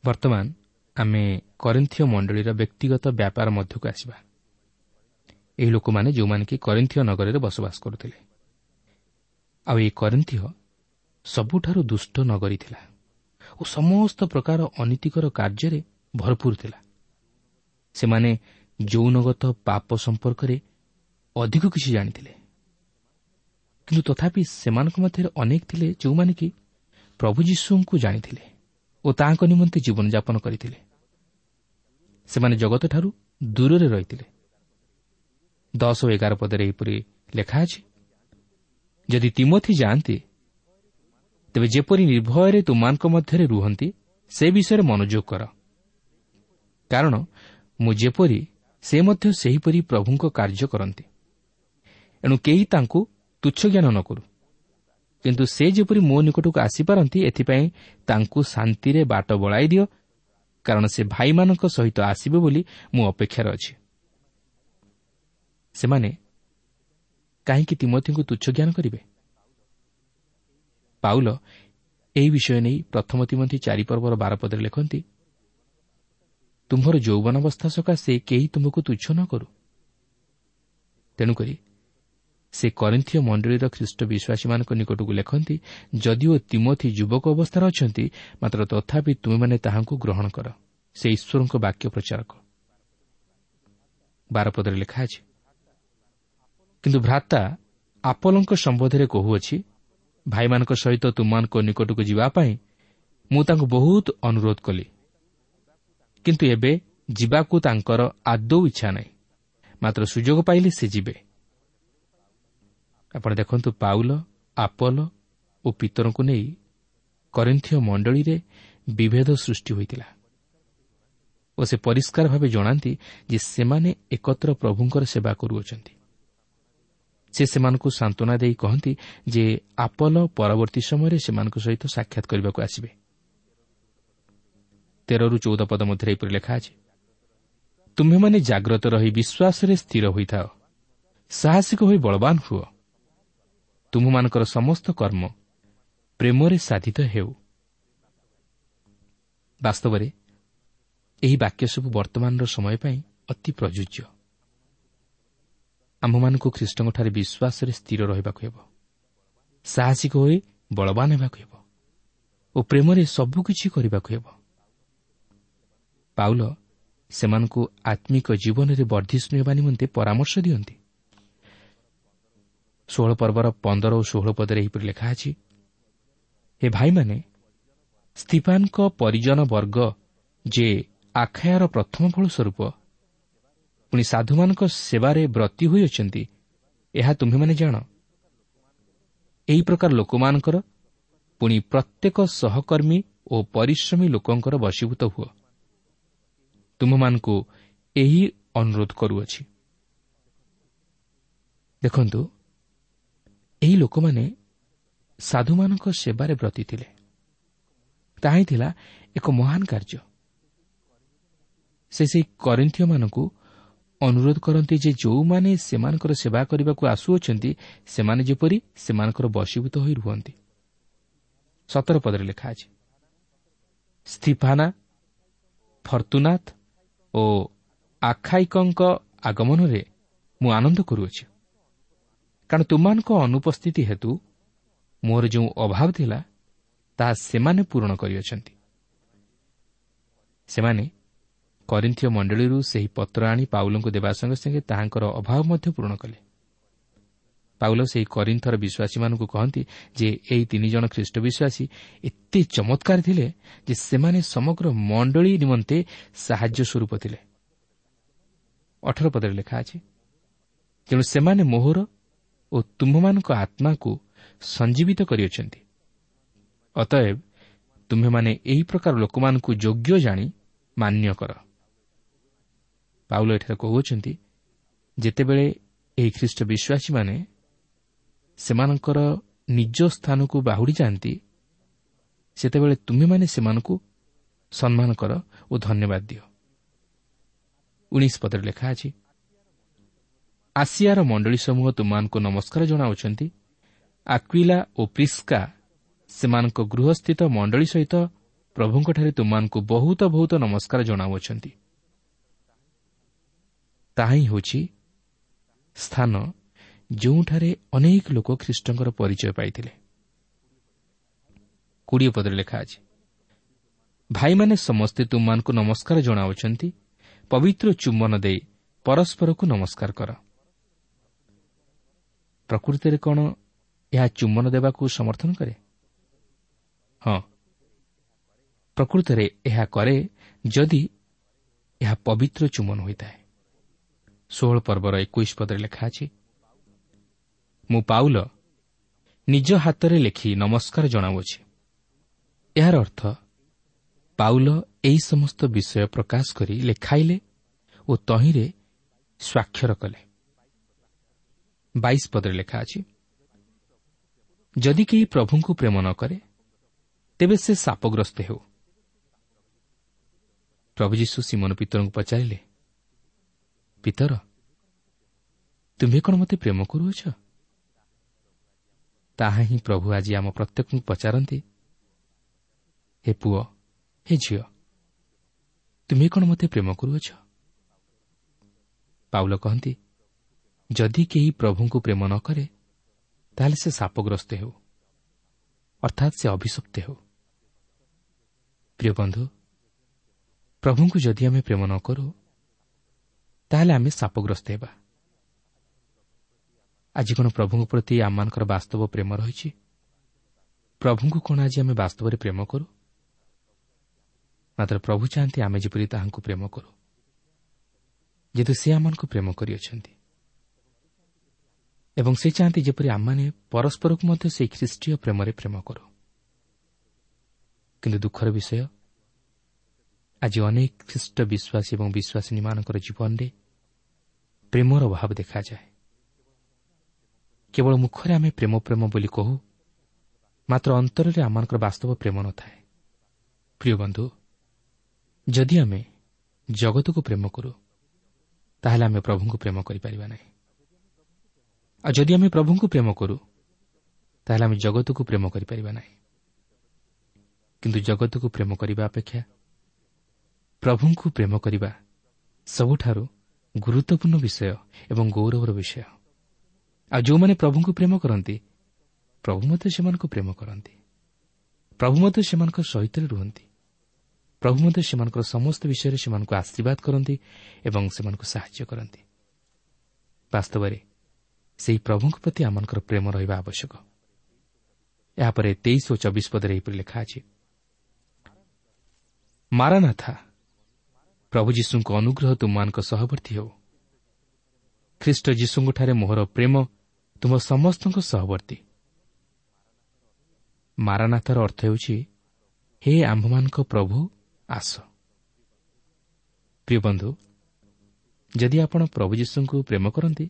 ବର୍ତ୍ତମାନ ଆମେ କରିନ୍ଥୀୟ ମଣ୍ଡଳୀର ବ୍ୟକ୍ତିଗତ ବ୍ୟାପାର ମଧ୍ୟକୁ ଆସିବା। ଏହି ଲୋକମାନେ ଯେଉଁମାନେ କି କରିନ୍ଥୀୟ ନଗରରେ ବସବାସ କରୁଥିଲେ, ଆଉ ଏହି କରିନ୍ଥୀୟ ସବୁଠାରୁ ଦୁଷ୍ଟ ନଗରୀ ଥିଲା ଓ ସମସ୍ତ ପ୍ରକାର ଅନୀତିକର କାର୍ଯ୍ୟରେ ଭରପୁର ଥିଲା। ସେମାନେ ଯୌନଗତ ପାପ ସମ୍ପର୍କରେ ଅଧିକ କିଛି ଜାଣିଥିଲେ, କିନ୍ତୁ ତଥାପି ସେମାନଙ୍କ ମଧ୍ୟରେ ଅନେକ ଥିଲେ ଯେଉଁମାନେ କି ପ୍ରଭୁ ଯୀଶୁଙ୍କୁ ଜାଣିଥିଲେ ଓ ତାହାଙ୍କ ନିମନ୍ତେ ଜୀବନଯାପନ କରିଥିଲେ। ସେମାନେ ଜଗତଠାରୁ ଦୂରରେ ରହିଥିଲେ। ଦଶ ଓ ଏଗାର ପଦରେ ଏହିପରି ଲେଖା ଅଛି, ଯଦି ତିମୋଥି ଯାଆନ୍ତି ତେବେ ଯେପରି ନିର୍ଭୟରେ ତୁମମାନଙ୍କ ମଧ୍ୟରେ ରୁହନ୍ତି ସେ ବିଷୟରେ ମନୋଯୋଗ କର, କାରଣ ମୁଁ ଯେପରି ସେ ମଧ୍ୟ ସେହିପରି ପ୍ରଭୁଙ୍କ କାର୍ଯ୍ୟ କରନ୍ତି। ଏଣୁ କେହି ତାଙ୍କୁ ତୁଚ୍ଛ ଜ୍ଞାନ ନ କରୁ, କିନ୍ତୁ ସେ ଯେପରି ମୋ ନିକଟକୁ ଆସିପାରନ୍ତି ଏଥିପାଇଁ ତାଙ୍କୁ ଶାନ୍ତିରେ ବାଟ ବଳାଇ ଦିଅ, କାରଣ ସେ ଭାଇମାନଙ୍କ ସହିତ ଆସିବେ ବୋଲି ମୁଁ ଅପେକ୍ଷାରେ ଅଛି। ସେମାନେ କାହିଁକି ତିମୋଥିଙ୍କୁ ତୁଚ୍ଛ ଜ୍ଞାନ କରିବେ? ପାଉଲ ଏହି ବିଷୟ ନେଇ ପ୍ରଥମ ତିମୋଥି ଚାରି ପର୍ବର ବାର ପଦରେ ଲେଖନ୍ତି, ତୁମ୍ଭର ଯୌବନାବସ୍ଥା ସକାଶେ କେହି ତୁମକୁ ତୁଚ୍ଛ ନ କରୁ। ତେଣୁକରି ସେ କରିନ୍ଥୀୟ ମଣ୍ଡଳୀର ଖ୍ରୀଷ୍ଟ ବିଶ୍ୱାସୀମାନଙ୍କ ନିକଟକୁ ଲେଖନ୍ତି, ଯଦିଓ ତିମୋଥି ଯୁବକ ଅବସ୍ଥାରେ ଅଛନ୍ତି, ମାତ୍ର ତଥାପି ତୁମେମାନେ ତାହାଙ୍କୁ ଗ୍ରହଣ କର, ସେ ଈଶ୍ୱରଙ୍କ ବାକ୍ୟ ପ୍ରଚାରକ। ବାର ପଦରେ ଲେଖା ଅଛି, କିନ୍ତୁ ଭ୍ରାତା ଆପଲଙ୍କ ସମ୍ବନ୍ଧରେ କହୁଅଛି, ଭାଇମାନଙ୍କ ସହିତ ତୁମମାନଙ୍କ ନିକଟକୁ ଯିବା ପାଇଁ ମୁଁ ତାଙ୍କୁ ବହୁତ ଅନୁରୋଧ କଲି, କିନ୍ତୁ ଏବେ ଯିବାକୁ ତାଙ୍କର ଆଦୌ ଇଚ୍ଛା ନାହିଁ, ମାତ୍ର ସୁଯୋଗ ପାଇଲେ ସେ ଯିବେ। ଆପଣ ଦେଖନ୍ତୁ, ପାଉଲ, ଆପଲ ଓ ପିତରଙ୍କୁ ନେଇ କରିନ୍ଥୀୟ ମଣ୍ଡଳୀରେ ବିଭେଦ ସୃଷ୍ଟି ହୋଇଥିଲା ଓ ସେ ପରିଷ୍କାର ଭାବେ ଜଣାନ୍ତି ଯେ ସେମାନେ ଏକତ୍ର ପ୍ରଭୁଙ୍କର ସେବା କରୁଅଛନ୍ତି। ସେ ସେମାନଙ୍କୁ ସାନ୍ତ୍ୱନା ଦେଇ କହନ୍ତି ଯେ ଆପଲ ପରବର୍ତ୍ତୀ ସମୟରେ ସେମାନଙ୍କ ସହିତ ସାକ୍ଷାତ କରିବାକୁ ଆସିବେ। ତେରରୁ ଚଉଦ ପଦ ମଧ୍ୟରେ ଏପରି ଲେଖା ଅଛି, ତୁମ୍ଭେମାନେ ଜାଗ୍ରତ ରହି ବିଶ୍ୱାସରେ ସ୍ଥିର ହୋଇଥାଅ, ସାହସିକ ହୋଇ ବଳବାନ ହୁଅ, ତୁମ୍ଭମାନଙ୍କର ସମସ୍ତ କର୍ମ ପ୍ରେମରେ ସାଧିତ ହେଉ। ବାସ୍ତବରେ ଏହି ବାକ୍ୟ ସବୁ ବର୍ତ୍ତମାନର ସମୟ ପାଇଁ ଅତି ପ୍ରଯୁଜ୍ୟ। ଆମ୍ଭମାନଙ୍କୁ ଖ୍ରୀଷ୍ଟଙ୍କଠାରେ ବିଶ୍ୱାସରେ ସ୍ଥିର ରହିବାକୁ ହେବ, ସାହସିକ ହୋଇ ବଳବାନ ହେବାକୁ ହେବ ଓ ପ୍ରେମରେ ସବୁକିଛି କରିବାକୁ ହେବ। ପାଉଲ ସେମାନଙ୍କୁ ଆତ୍ମିକ ଜୀବନରେ ବର୍ଦ୍ଧିଷ୍ଣୁ ହେବା ନିମନ୍ତେ ପରାମର୍ଶ ଦିଅନ୍ତି। ଷୋହଳ ପର୍ବର ପନ୍ଦର ଓ ଷୋହଳ ପଦରେ ଏହିପରି ଲେଖା ଅଛି, ହେ ଭାଇମାନେ, ସ୍ତିଫାନଙ୍କ ପରିଜନ ବର୍ଗ ଯେ ଆଖାୟାର ପ୍ରଥମ ଫଳ ସ୍ୱରୂପ ପୁଣି ସାଧୁମାନଙ୍କ ସେବାରେ ବ୍ରତୀ ହୋଇଅଛନ୍ତି, ଏହା ତୁମ୍ଭେମାନେ ଜାଣ। ଏହି ପ୍ରକାର ଲୋକମାନଙ୍କର ପୁଣି ପ୍ରତ୍ୟେକ ସହକର୍ମୀ ଓ ପରିଶ୍ରମୀ ଲୋକଙ୍କର ବଶୀଭୂତ ହୁଅ। ତୁମ୍ଭମାନଙ୍କୁ ଏହି ଅନୁରୋଧ କରୁଅଛି। ଦେଖନ୍ତୁ, ଏହି ଲୋକମାନେ ସାଧୁମାନଙ୍କ ସେବାରେ ବ୍ରତୀ ଥିଲେ। ତାହା ହିଁ ଥିଲା ଏକ ମହାନ କାର୍ଯ୍ୟ। ସେ ସେହି କରିନ୍ଥୀୟମାନଙ୍କୁ ଅନୁରୋଧ କରନ୍ତି ଯେ ଯେଉଁମାନେ ସେମାନଙ୍କର ସେବା କରିବାକୁ ଆସୁଅଛନ୍ତି, ସେମାନେ ଯେପରି ସେମାନଙ୍କର ବଶୀଭୂତ ହୋଇ ରୁହନ୍ତି। ସତର ପଦରେ ଲେଖା ଅଛି, ସ୍ତିଫାନା, ଫର୍ତ୍ତୁନାଥ ଓ ଆଖାଇକଙ୍କ ଆଗମନରେ ମୁଁ ଆନନ୍ଦ କରୁଅଛି, କାରଣ ତୁମମାନଙ୍କ ଅନୁପସ୍ଥିତି ହେତୁ ମୋର ଯେଉଁ ଅଭାବ ଥିଲା, ତାହା ସେମାନେ ପୂରଣ କରିଅଛନ୍ତି। ସେମାନେ କରିନ୍ଥୀୟ ମଣ୍ଡଳୀରୁ ସେହି ପତ୍ର ଆଣି ପାଉଲଙ୍କୁ ଦେବା ସଙ୍ଗେ ସଙ୍ଗେ ତାହାଙ୍କର ଅଭାବ ମଧ୍ୟ ପୂରଣ କଲେ। ପାଉଲ ସେହି କରିନ୍ଥର ବିଶ୍ୱାସୀମାନଙ୍କୁ କହନ୍ତି ଯେ ଏହି ତିନି ଜଣ ଖ୍ରୀଷ୍ଟ ବିଶ୍ୱାସୀ ଏତେ ଚମତ୍କାର ଥିଲେ ଯେ ସେମାନେ ସମଗ୍ର ମଣ୍ଡଳୀ ନିମନ୍ତେ ସାହାଯ୍ୟ ସ୍ୱରୂପ ଥିଲେ। ଅଠର ପଦରେ ଲେଖା ଅଛି, ତେଣୁ ସେମାନେ ମୋହର ଓ ତୁମ୍ଭମାନଙ୍କ ଆତ୍ମାକୁ ସଞ୍ଜୀବିତ କରିଅଛନ୍ତି। ଅତଏବ ତୁମ୍ଭେମାନେ ଏହି ପ୍ରକାର ଲୋକମାନଙ୍କୁ ଯୋଗ୍ୟ ଜାଣି ମାନ୍ୟ କର। ପାଉଲ ଏଠାରେ କହୁଅଛନ୍ତି, ଯେତେବେଳେ ଏହି ଖ୍ରୀଷ୍ଟ ବିଶ୍ୱାସୀମାନେ ସେମାନଙ୍କର ନିଜ ସ୍ଥାନକୁ ବାହୁଡ଼ି ଯାଆନ୍ତି, ସେତେବେଳେ ତୁମେମାନେ ସେମାନଙ୍କୁ ସମ୍ମାନ କର ଓ ଧନ୍ୟବାଦ ଦିଅ। ଉଣେଇଶ ପଦରେ ଲେଖା ଅଛି, ଆସିଆର ମଣ୍ଡଳୀ ସମୂହ ତୁମମାନଙ୍କୁ ନମସ୍କାର ଜଣାଉଛନ୍ତି। ଆକ୍ୱିଲା ଓ ପ୍ରିସ୍କା ସେମାନଙ୍କ ଗୃହସ୍ଥିତ ମଣ୍ଡଳୀ ସହିତ ପ୍ରଭୁଙ୍କଠାରେ ତୁମମାନଙ୍କୁ ବହୁତ ବହୁତ ନମସ୍କାର ଜଣାଉଅଛନ୍ତି। ତାହା ହିଁ ହେଉଛି ସ୍ଥାନ ଯେଉଁଠାରେ ଅନେକ ଲୋକ ଖ୍ରୀଷ୍ଟଙ୍କର ପରିଚୟ ପାଇଥିଲେ। କୋଡ଼ିଏ ପଦରେ ଲେଖା ଅଛି, ଭାଇମାନେ ସମସ୍ତେ ତୁମମାନଙ୍କୁ ନମସ୍କାର ଜଣାଉଛନ୍ତି। ପବିତ୍ର ଚୁମ୍ବନ ଦେଇ ପରସ୍ପରକୁ ନମସ୍କାର କର। ପ୍ରକୃତିରେ କ'ଣ ଏହା ଚୁମ୍ବନ ଦେବାକୁ ସମର୍ଥନ କରେ? ହଁ, ପ୍ରକୃତରେ ଏହା କରେ ଯଦି ଏହା ପବିତ୍ର ଚୁମ୍ବନ ହୋଇଥାଏ। ଷୋହଳ ପର୍ବର ଏକୋଇଶ ପଦରେ ଲେଖା ଅଛି, ମୁଁ ପାଉଲ ନିଜ ହାତରେ ଲେଖି ନମସ୍କାର ଜଣାଉଅଛି। ଏହାର ଅର୍ଥ ପାଉଲ ଏହି ସମସ୍ତ ବିଷୟ ପ୍ରକାଶ କରି ଲେଖାଇଲେ ଓ ତହିଁରେ ସ୍ୱାକ୍ଷର କଲେ। ବାଇଶ ପଦରେ ଲେଖା ଅଛି, ଯଦି କେହି ପ୍ରଭୁଙ୍କୁ ପ୍ରେମ ନ କରେ ତେବେ ସେ ଶାପଗ୍ରସ୍ତ ହେଉ। ପ୍ରଭୁ ଯୀଶୁ ସିମୋନ ପିତରଙ୍କୁ ପଚାରିଲେ, ପିତର, ତୁମ୍ଭେ କ'ଣ ମୋତେ ପ୍ରେମ କରୁଅଛ? ତାହା ହିଁ ପ୍ରଭୁ ଆଜି ଆମ ପ୍ରତ୍ୟେକଙ୍କୁ ପଚାରନ୍ତି, ହେ ପୁଅ, ହେ ଝିଅ, ତୁମେ କ'ଣ ମୋତେ ପ୍ରେମ କରୁଅଛ? ପାଉଲ କହନ୍ତି, ଯଦି କେହି ପ୍ରଭୁଙ୍କୁ ପ୍ରେମ ନ କରେ, ତାହେଲେ ସେ ସାପଗ୍ରସ୍ତ ହେଉ, ଅର୍ଥାତ୍ ସେ ଅଭିଶପ୍ତ ହେଉ। ପ୍ରିୟ ବନ୍ଧୁ, ପ୍ରଭୁଙ୍କୁ ଯଦି ଆମେ ପ୍ରେମ ନ କରୁ, ତାହେଲେ ଆମେ ସାପଗ୍ରସ୍ତ ହେବା। ଆଜି କ'ଣ ପ୍ରଭୁଙ୍କ ପ୍ରତି ଆମମାନଙ୍କର ବାସ୍ତବ ପ୍ରେମ ରହିଛି? ପ୍ରଭୁଙ୍କୁ କ'ଣ ଆଜି ଆମେ ବାସ୍ତବରେ ପ୍ରେମ କରୁ? ମାତ୍ର ପ୍ରଭୁ ଚାହାନ୍ତି ଆମେ ଯେପରି ତାହାଙ୍କୁ ପ୍ରେମ କରୁ, ଯେହେତୁ ସେ ଆମମାନଙ୍କୁ ପ୍ରେମ କରିଅଛନ୍ତି, ଏବଂ ସେ ଚାହାନ୍ତି ଯେପରି ଆମମାନେ ପରସ୍ପରକୁ ମଧ୍ୟ ସେହି ଖ୍ରୀଷ୍ଟୀୟ ପ୍ରେମରେ ପ୍ରେମ କରୁ। କିନ୍ତୁ ଦୁଃଖର ବିଷୟ, ଆଜି ଅନେକ ଖ୍ରୀଷ୍ଟ ବିଶ୍ୱାସୀ ଏବଂ ବିଶ୍ୱାସିନୀମାନଙ୍କର ଜୀବନରେ ପ୍ରେମର ଅଭାବ ଦେଖାଯାଏ। କେବଳ ମୁଖରେ ଆମେ ପ୍ରେମ ପ୍ରେମ ବୋଲି କହୁ, ମାତ୍ର ଅନ୍ତରରେ ଆମମାନଙ୍କର ବାସ୍ତବ ପ୍ରେମ ନଥାଏ। ପ୍ରିୟ ବନ୍ଧୁ, ଯଦି ଆମେ ଜଗତକୁ ପ୍ରେମ କରୁ, ତାହେଲେ ଆମେ ପ୍ରଭୁଙ୍କୁ ପ୍ରେମ କରିପାରିବା ନାହିଁ। ଆଉ ଯଦି ଆମେ ପ୍ରଭୁଙ୍କୁ ପ୍ରେମ କରୁ, ତାହେଲେ ଆମେ ଜଗତକୁ ପ୍ରେମ କରିପାରିବା ନାହିଁ। କିନ୍ତୁ ଜଗତକୁ ପ୍ରେମ କରିବା ଅପେକ୍ଷା ପ୍ରଭୁଙ୍କୁ ପ୍ରେମ କରିବା ସବୁଠାରୁ ଗୁରୁତ୍ୱପୂର୍ଣ୍ଣ ବିଷୟ ଏବଂ ଗୌରବର ବିଷୟ। ଆଉ ଯେଉଁମାନେ ପ୍ରଭୁଙ୍କୁ ପ୍ରେମ କରନ୍ତି, ପ୍ରଭୁ ମଧ୍ୟ ସେମାନଙ୍କୁ ପ୍ରେମ କରନ୍ତି। ପ୍ରଭୁ ମଧ୍ୟ ସେମାନଙ୍କ ସହିତ ରୁହନ୍ତି। ପ୍ରଭୁ ମଧ୍ୟ ସେମାନଙ୍କର ସମସ୍ତ ବିଷୟରେ ସେମାନଙ୍କୁ ଆଶୀର୍ବାଦ କରନ୍ତି ଏବଂ ସେମାନଙ୍କୁ ସାହାଯ୍ୟ କରନ୍ତି। ବାସ୍ତବରେ ସେହି ପ୍ରଭୁଙ୍କ ପ୍ରତି ଆମମାନଙ୍କର ପ୍ରେମ ରହିବା ଆବଶ୍ୟକ। ଏହାପରେ ତେଇଶ ଓ ଚବିଶ ପଦରେ ଏହିପରି ଲେଖା ଅଛି, ମାରାନାଥା, ପ୍ରଭୁ ଯୀଶୁଙ୍କ ଅନୁଗ୍ରହ ତୁମମାନଙ୍କ ସହବର୍ତ୍ତୀ ହେଉ। ଖ୍ରୀଷ୍ଟ ଯୀଶୁଙ୍କଠାରେ ମୋହର ପ୍ରେମ ତୁମ ସମସ୍ତଙ୍କ ସହବର୍ତ୍ତୀ। ମାରାନାଥର ଅର୍ଥ ହେଉଛି, ହେ ଆମ୍ଭମାନଙ୍କ ପ୍ରଭୁ ଆସ। ପ୍ରିୟ ବନ୍ଧୁ, ଯଦି ଆପଣ ପ୍ରଭୁ ଯୀଶୁଙ୍କୁ ପ୍ରେମ କରନ୍ତି,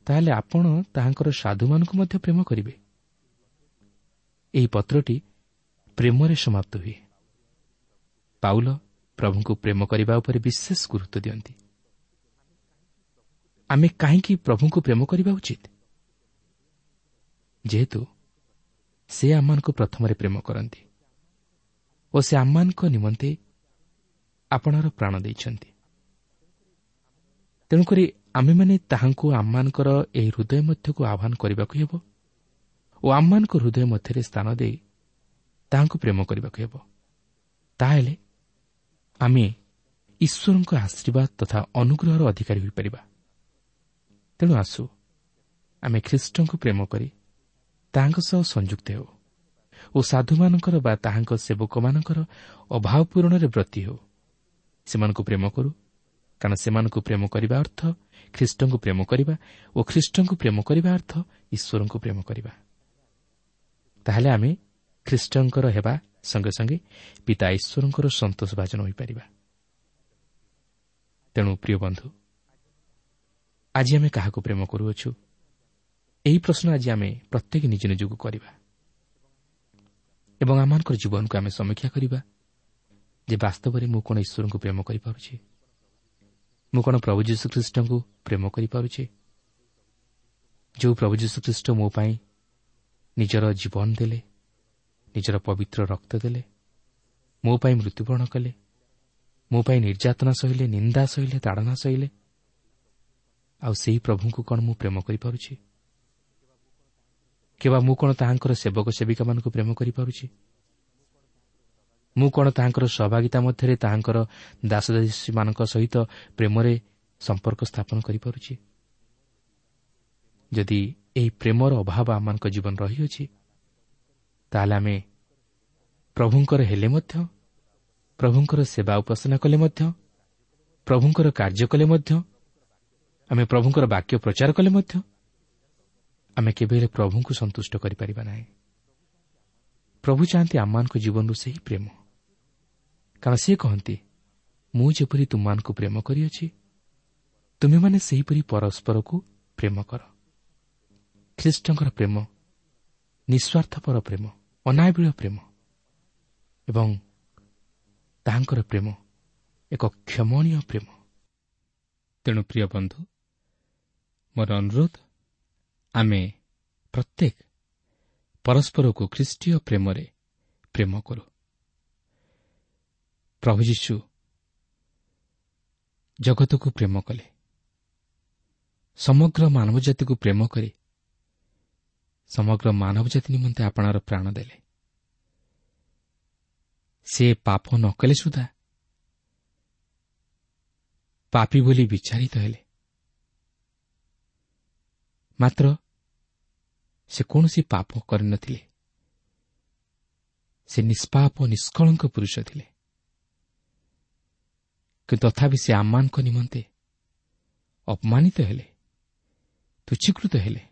ତାହେଲେ ଆପଣ ତାହାଙ୍କର ସାଧୁମାନଙ୍କୁ ମଧ୍ୟ ପ୍ରେମ କରିବେ। ଏହି ପତ୍ରଟି ପ୍ରେମରେ ସମାପ୍ତ ହୁଏ। ପାଉଲ ପ୍ରଭୁଙ୍କୁ ପ୍ରେମ କରିବା ଉପରେ ବିଶେଷ ଗୁରୁତ୍ୱ ଦିଅନ୍ତି। ଆମେ କାହିଁକି ପ୍ରଭୁଙ୍କୁ ପ୍ରେମ କରିବା ଉଚିତ? ଯେହେତୁ ସେ ଆମମାନଙ୍କୁ ପ୍ରଥମରେ ପ୍ରେମ କରନ୍ତି ଓ ସେ ଆମମାନଙ୍କ ନିମନ୍ତେ ଆପଣାର ପ୍ରାଣ ଦେଇଛନ୍ତି। ତେଣୁକରି ଆମେମାନେ ତାହାଙ୍କୁ ଆମମାନଙ୍କର ଏହି ହୃଦୟ ମଧ୍ୟକୁ ଆହ୍ୱାନ କରିବାକୁ ହେବ ଓ ଆମମାନଙ୍କ ହୃଦୟ ମଧ୍ୟରେ ସ୍ଥାନ ଦେଇ ତାହାଙ୍କୁ ପ୍ରେମ କରିବାକୁ ହେବ। ତାହେଲେ ଆମେ ଈଶ୍ୱରଙ୍କ ଆଶୀର୍ବାଦ ତଥା ଅନୁଗ୍ରହର ଅଧିକାରୀ ହୋଇପାରିବା। ତେଣୁ ଆସୁ ଆମେ ଖ୍ରୀଷ୍ଟଙ୍କୁ ପ୍ରେମ କରି ତାହାଙ୍କ ସହ ସଂଯୁକ୍ତ ହେଉ ଓ ସାଧୁମାନଙ୍କର ବା ତାହାଙ୍କ ସେବକମାନଙ୍କର ଅଭାବ ପୂରଣରେ ବ୍ରତୀ ହେଉ। ସେମାନଙ୍କୁ ପ୍ରେମ କରୁ, କାରଣ ସେମାନଙ୍କୁ ପ୍ରେମ କରିବା ଅର୍ଥ ଖ୍ରୀଷ୍ଟଙ୍କୁ ପ୍ରେମ କରିବା ଓ ଖ୍ରୀଷ୍ଟଙ୍କୁ ପ୍ରେମ କରିବା ଅର୍ଥ ଈଶ୍ୱରଙ୍କୁ ପ୍ରେମ କରିବା। ତାହେଲେ ଆମେ ଖ୍ରୀଷ୍ଟଙ୍କର ହେବା ସଙ୍ଗେ ସଙ୍ଗେ ପିତା ଈଶ୍ୱରଙ୍କର ସନ୍ତୋଷଭାଜନ ହୋଇପାରିବା। ତେଣୁ ପ୍ରିୟ ବନ୍ଧୁ, ଆଜି ଆମେ କାହାକୁ ପ୍ରେମ କରୁଅଛୁ, ଏହି ପ୍ରଶ୍ନ ଆଜି ଆମେ ପ୍ରତ୍ୟେକ ନିଜ ନିଜକୁ କରିବା ଏବଂ ଆମମାନଙ୍କର ଜୀବନକୁ ଆମେ ସମୀକ୍ଷା କରିବା ଯେ ବାସ୍ତବରେ ମୁଁ କ'ଣ ଈଶ୍ୱରଙ୍କୁ ପ୍ରେମ କରିପାରୁଛି? ମୁଁ କ'ଣ ପ୍ରଭୁ ଯୀଶୁଖ୍ରୀଷ୍ଟଙ୍କୁ ପ୍ରେମ କରିପାରୁଛି? ଯେଉଁ ପ୍ରଭୁ ଯୀଶୁଖ୍ରୀଷ୍ଟ ମୋ ପାଇଁ ନିଜର ଜୀବନ ଦେଲେ, ନିଜର ପବିତ୍ର ରକ୍ତ ଦେଲେ, ମୋ ପାଇଁ ମୃତ୍ୟୁବରଣ କଲେ, ମୋ ପାଇଁ ନିର୍ଯାତନା ସହିଲେ, ନିନ୍ଦା ସହିଲେ, ତାଡ଼ନା ସହିଲେ, ଆଉ ସେହି ପ୍ରଭୁଙ୍କୁ କ'ଣ ମୁଁ ପ୍ରେମ କରିପାରୁଛି? କିମ୍ବା ମୁଁ କ'ଣ ତାହାଙ୍କର ସେବକ ସେବିକାମାନଙ୍କୁ ପ୍ରେମ କରିପାରୁଛି? ମୁଁ କ'ଣ ତାହାଙ୍କର ସହଭାଗିତା ମଧ୍ୟରେ ତାହାଙ୍କର ଦାସଦାସୀମାନଙ୍କ ସହିତ ପ୍ରେମରେ ସମ୍ପର୍କ ସ୍ଥାପନ କରିପାରୁଛି? ଯଦି ଏହି ପ୍ରେମର ଅଭାବ ଆମମାନଙ୍କ ଜୀବନ ରହିଅଛି, ତାହେଲେ ଆମେ ପ୍ରଭୁଙ୍କର ହେଲେ ମଧ୍ୟ, ପ୍ରଭୁଙ୍କର ସେବା ଉପାସନା କଲେ ମଧ୍ୟ, ପ୍ରଭୁଙ୍କର କାର୍ଯ୍ୟ କଲେ ମଧ୍ୟ, ଆମେ ପ୍ରଭୁଙ୍କର ବାକ୍ୟ ପ୍ରଚାର କଲେ ମଧ୍ୟ, ଆମେ କେବେ ହେଲେ ପ୍ରଭୁଙ୍କୁ ସନ୍ତୁଷ୍ଟ କରିପାରିବା ନାହିଁ। ପ୍ରଭୁ ଚାହାନ୍ତି ଆମମାନଙ୍କ ଜୀବନରୁ ସେହି ପ୍ରେମ, କାରଣ ସେ କହନ୍ତି, ମୁଁ ଯେପରି ତୁମମାନଙ୍କୁ ପ୍ରେମ କରିଅଛି, ତୁମେମାନେ ସେହିପରି ପରସ୍ପରକୁ ପ୍ରେମ କର। ଖ୍ରୀଷ୍ଟଙ୍କର ପ୍ରେମ ନିଃସ୍ୱାର୍ଥପର ପ୍ରେମ, ଅନାବିଳ ପ୍ରେମ ଏବଂ ତାହାଙ୍କର ପ୍ରେମ ଏକ କ୍ଷମଣୀୟ ପ୍ରେମ। ତେଣୁ ପ୍ରିୟ ବନ୍ଧୁ, ମୋର ଅନୁରୋଧ, ଆମେ ପ୍ରତ୍ୟେକ ପରସ୍ପରକୁ ଖ୍ରୀଷ୍ଟୀୟ ପ୍ରେମରେ ପ୍ରେମ କରୁ। ପ୍ରଭୁ ଯୀଶୁ ଜଗତକୁ ପ୍ରେମ କଲେ, ସମଗ୍ର ମାନବ ଜାତିକୁ ପ୍ରେମ କରି ସମଗ୍ର ମାନବ ଜାତି ନିମନ୍ତେ ଆପଣାର ପ୍ରାଣ ଦେଲେ। ସେ ପାପ ନ କଲେ ସୁଦ୍ଧା ପାପୀ ବୋଲି ବିଚାରିତ ହେଲେ, ମାତ୍ର ସେ କୌଣସି ପାପ କରିନଥିଲେ। ସେ ନିଷ୍ପାପ ନିଷ୍କଳଙ୍କ ପୁରୁଷ ଥିଲେ, କିନ୍ତୁ ତଥାପି ସେ ଆମମାନଙ୍କ ନିମନ୍ତେ ଅପମାନିତ ହେଲେ, ତୁଚ୍ଛୀକୃତ ହେଲେ।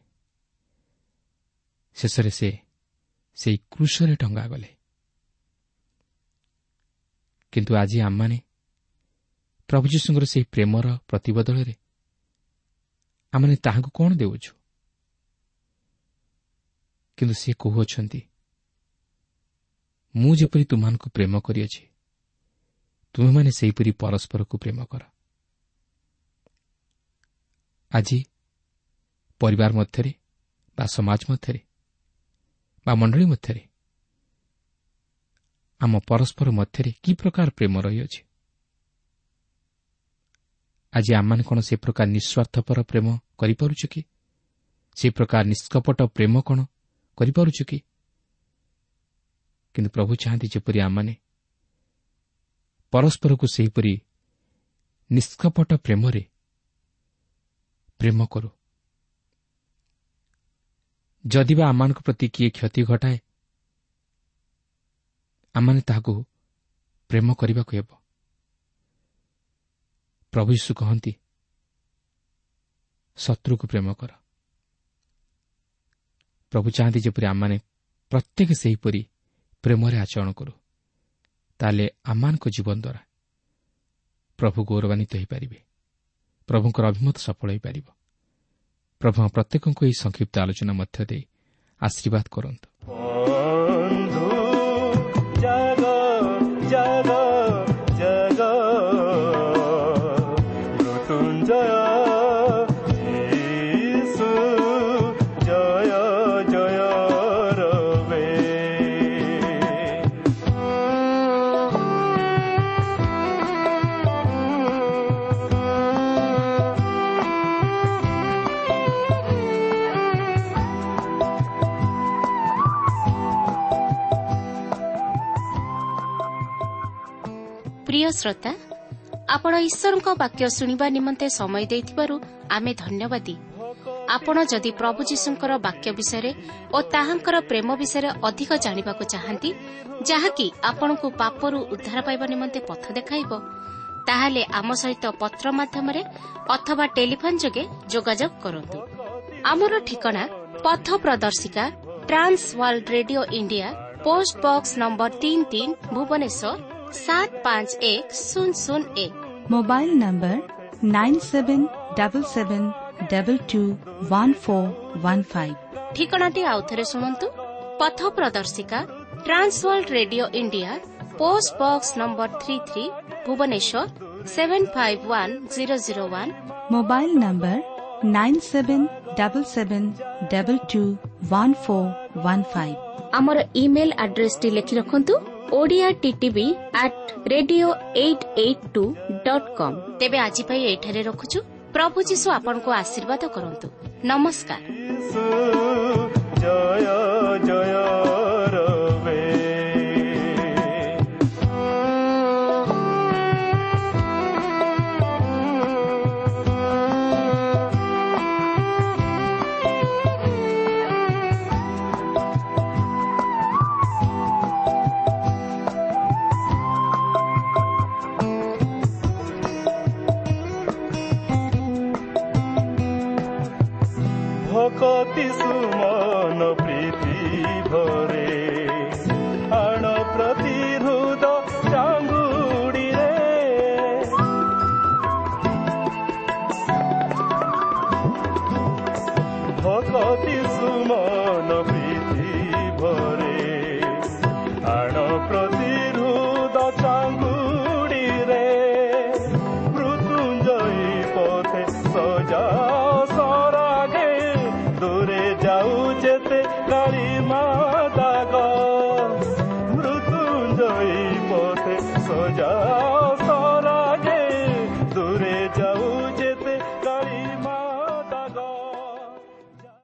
ଶେଷରେ ସେ ସେହି କ୍ରୁଶରେ ଟଙ୍ଗାଗଲେ। କିନ୍ତୁ ଆଜି ଆମମାନେ ପ୍ରଭୁ ଯୀଶୁଙ୍କର ସେହି ପ୍ରେମର ପ୍ରତିବଦଳରେ ଆମମାନେ ତାହାଙ୍କୁ କ'ଣ ଦେଉଛୁ? କିନ୍ତୁ ସେ କହୁଅଛନ୍ତି, ମୁଁ ଯେପରି ତୁମମାନଙ୍କୁ ପ୍ରେମ କରିଅଛି, ତୁମେମାନେ ସେହିପରି ପରସ୍ପରକୁ ପ୍ରେମ କର। ଆଜି ପରିବାର ମଧ୍ୟରେ ବା ସମାଜ ମଧ୍ୟରେ ବା ମଣ୍ଡଳୀ ମଧ୍ୟରେ ଆମ ପରସ୍ପର ମଧ୍ୟରେ କି ପ୍ରକାର ପ୍ରେମ ରହିଅଛି? ଆଜି ଆମମାନେ କ'ଣ ସେ ପ୍ରକାର ନିଃସ୍ୱାର୍ଥପର ପ୍ରେମ କରିପାରୁଛୁ କି? ସେ ପ୍ରକାର ନିଷ୍କପଟ ପ୍ରେମ କ'ଣ କରିପାରୁଛୁ କି? କିନ୍ତୁ ପ୍ରଭୁ ଚାହାନ୍ତି ଯେପରି ଆମମାନେ ପରସ୍ପରକୁ ସେହିପରି ନିଷ୍କପଟ ପ୍ରେମରେ ପ୍ରେମ କରୁ। ଯଦି ବା ଆମମାନଙ୍କ ପ୍ରତି କିଏ କ୍ଷତି ଘଟାଏ, ଆମମାନେ ତାହାକୁ ପ୍ରେମ କରିବାକୁ ହେବ। ପ୍ରଭୁ ଯୀଶୁ କହନ୍ତି, ଶତ୍ରୁକୁ ପ୍ରେମ କର। ପ୍ରଭୁ ଚାହାନ୍ତି ଯେପରି ଆମମାନେ ପ୍ରତ୍ୟେକ ସେହିପରି ପ୍ରେମରେ ଆଚରଣ କରୁ, ତାହେଲେ ଆମମାନଙ୍କ ଜୀବନ ଦ୍ୱାରା ପ୍ରଭୁ ଗୌରବାନ୍ୱିତ ହୋଇପାରିବେ, ପ୍ରଭୁଙ୍କର ଅଭିମତ ସଫଳ ହୋଇପାରିବ। ପ୍ରଭୁ ପ୍ରତ୍ୟେକଙ୍କୁ ଏହି ସଂକ୍ଷିପ୍ତ ଆଲୋଚନା ମଧ୍ୟ ଦେଇ ଆଶୀର୍ବାଦ କରନ୍ତୁ। ପ୍ରିୟ ଶ୍ରୋତା, ଆପଣ ଈଶ୍ୱରଙ୍କ ବାକ୍ୟ ଶୁଣିବା ନିମନ୍ତେ ସମୟ ଦେଇଥିବାରୁ ଆମେ ଧନ୍ୟବାଦୀ। ଆପଣ ଯଦି ପ୍ରଭୁ ଯୀଶୁଙ୍କର ବାକ୍ୟ ବିଷୟରେ ଓ ତାହାଙ୍କର ପ୍ରେମ ବିଷୟରେ ଅଧିକ ଜାଣିବାକୁ ଚାହାନ୍ତି, ଯାହାକି ଆପଣଙ୍କୁ ପାପରୁ ଉଦ୍ଧାର ପାଇବା ନିମନ୍ତେ ପଥ ଦେଖାଇବ, ତାହେଲେ ଆମ ସହିତ ପତ୍ର ମାଧ୍ୟମରେ ଅଥବା ଟେଲିଫୋନ୍ ଯୋଗେ ଯୋଗାଯୋଗ କରନ୍ତୁ। ଆମର ଠିକଣା ପଥ ପ୍ରଦର୍ଶିକା, Trans World Radio India, post box number ତିନି ତିନି, ଭୁବନେଶ୍ୱର ସାତ ପାଞ୍ଚ ଏକ ଶୂନ ଶୂନ ଏକ। Mobile number nine seven double seven double two one four one five. ଠିକଣାଟି ଆଉଥରେ ଶୁଣନ୍ତୁ। ପଥ ପ୍ରଦର୍ଶିକା, Trans World Radio India, post box number three three, Bhubaneswar seven five one zero zero one. Mobile number nine seven double seven double two one four one five. ଆମର email ଆଡ୍ରେସଟି ଲେଖି ରଖନ୍ତୁ, Odia TTV at radio eight eight two dot com. ତେବେ ଆଜି ପାଇଁ ଏଇଠାରେ ରଖୁଛୁ। ପ୍ରଭୁ ଯୀଶୁ ଆପଣଙ୍କୁ ଆଶୀର୍ବାଦ କରନ୍ତୁ। ନମସ୍କାର। ଜୟ ଜୟ ରବେ। ଭକତି ସୁମନ ପ୍ରୀତି ଭରେ ଆଣ ପ୍ରତି ହୃଦ ଚାଙ୍ଗୁଡ଼ିରେ, ଭକତି ସୁମନ ପ୍ରୀତି ଭରେ ଆଣ ପ୍ରତି ହୃଦ ଚାଙ୍ଗୁଡ଼ିରେ, ମୃତ୍ୟୁଞ୍ଜୟୀ ପଥେ ସଜା ସରାଗେ, ଦୂରେ ଯାଉ ଯେତେ କାଳି ମା ଦାଗ, ମୃତ୍ୟୁଞ୍ଜୟୀ ପଥେ ସଜା